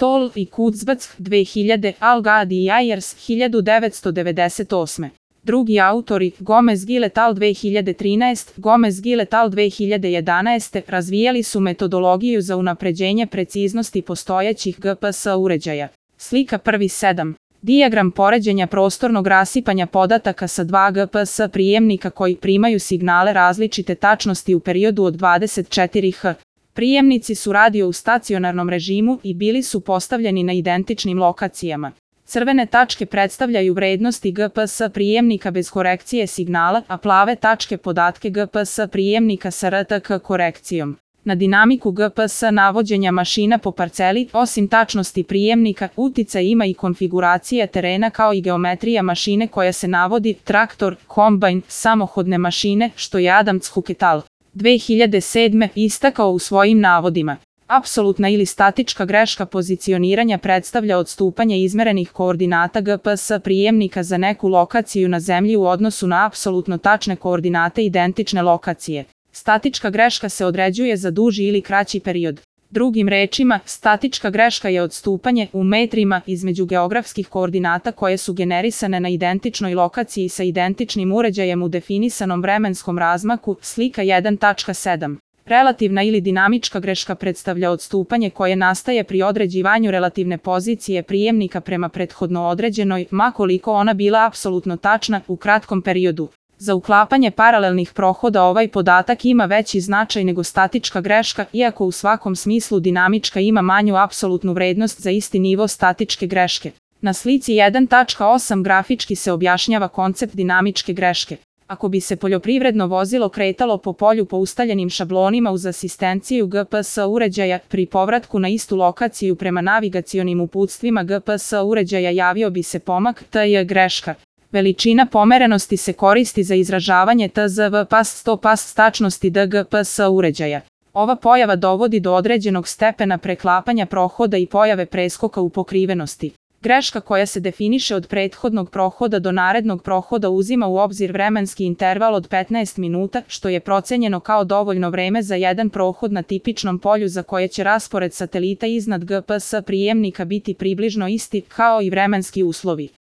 Stoll i Kurzbach 2000, Al-Gadi i Ayers 1998. Drugi autori, Gomez-Gill et al. 2013, Gomez-Gill et al. 2011, razvijali su metodologiju za unapređenje preciznosti postojećih GPS uređaja. Slika 1.7. Dijagram poređenja prostornog rasipanja podataka sa dva GPS prijemnika koji primaju signale različite tačnosti u periodu od 24 h. Prijemnici su radio u stacionarnom režimu i bili su postavljeni na identičnim lokacijama. Crvene tačke predstavljaju vrednosti GPS prijemnika bez korekcije signala, a plave tačke podatke GPS prijemnika sa RTK korekcijom. Na dinamiku GPS navođenja mašina po parceli, osim tačnosti prijemnika, uticaj ima i konfiguracija terena kao i geometrija mašine koja se navodi, traktor, kombajn, samohodne mašine, što je Adams Hook et al. 2007. istakao u svojim navodima. Apsolutna ili statička greška pozicioniranja predstavlja odstupanje izmerenih koordinata GPS prijemnika za neku lokaciju na zemlji u odnosu na apsolutno tačne koordinate identične lokacije. Statička greška se određuje za duži ili kraći period. Drugim rečima, statička greška je odstupanje u metrima između geografskih koordinata koje su generisane na identičnoj lokaciji sa identičnim uređajem u definisanom vremenskom razmaku, slika 1.7. Relativna ili dinamička greška predstavlja odstupanje koje nastaje pri određivanju relativne pozicije prijemnika prema prethodno određenoj, ma koliko ona bila apsolutno tačna, u kratkom periodu. Za uklapanje paralelnih prohoda ovaj podatak ima veći značaj nego statička greška, iako u svakom smislu dinamička ima manju apsolutnu vrednost za isti nivo statičke greške. Na slici 1.8 grafički se objašnjava koncept dinamičke greške. Ako bi se poljoprivredno vozilo kretalo po polju po ustaljenim šablonima uz asistenciju GPS uređaja, pri povratku na istu lokaciju prema navigacionim uputstvima GPS uređaja javio bi se pomak TJ greška. Veličina pomerenosti se koristi za izražavanje TZV pas 100 pas tačnosti DGPS uređaja. Ova pojava dovodi do određenog stepena preklapanja prohoda i pojave preskoka u pokrivenosti. Greška koja se definiše od prethodnog prohoda do narednog prohoda uzima u obzir vremenski interval od 15 minuta, što je procenjeno kao dovoljno vreme za jedan prohod na tipičnom polju za koje će raspored satelita iznad GPS prijemnika biti približno isti, kao i vremenski uslovi.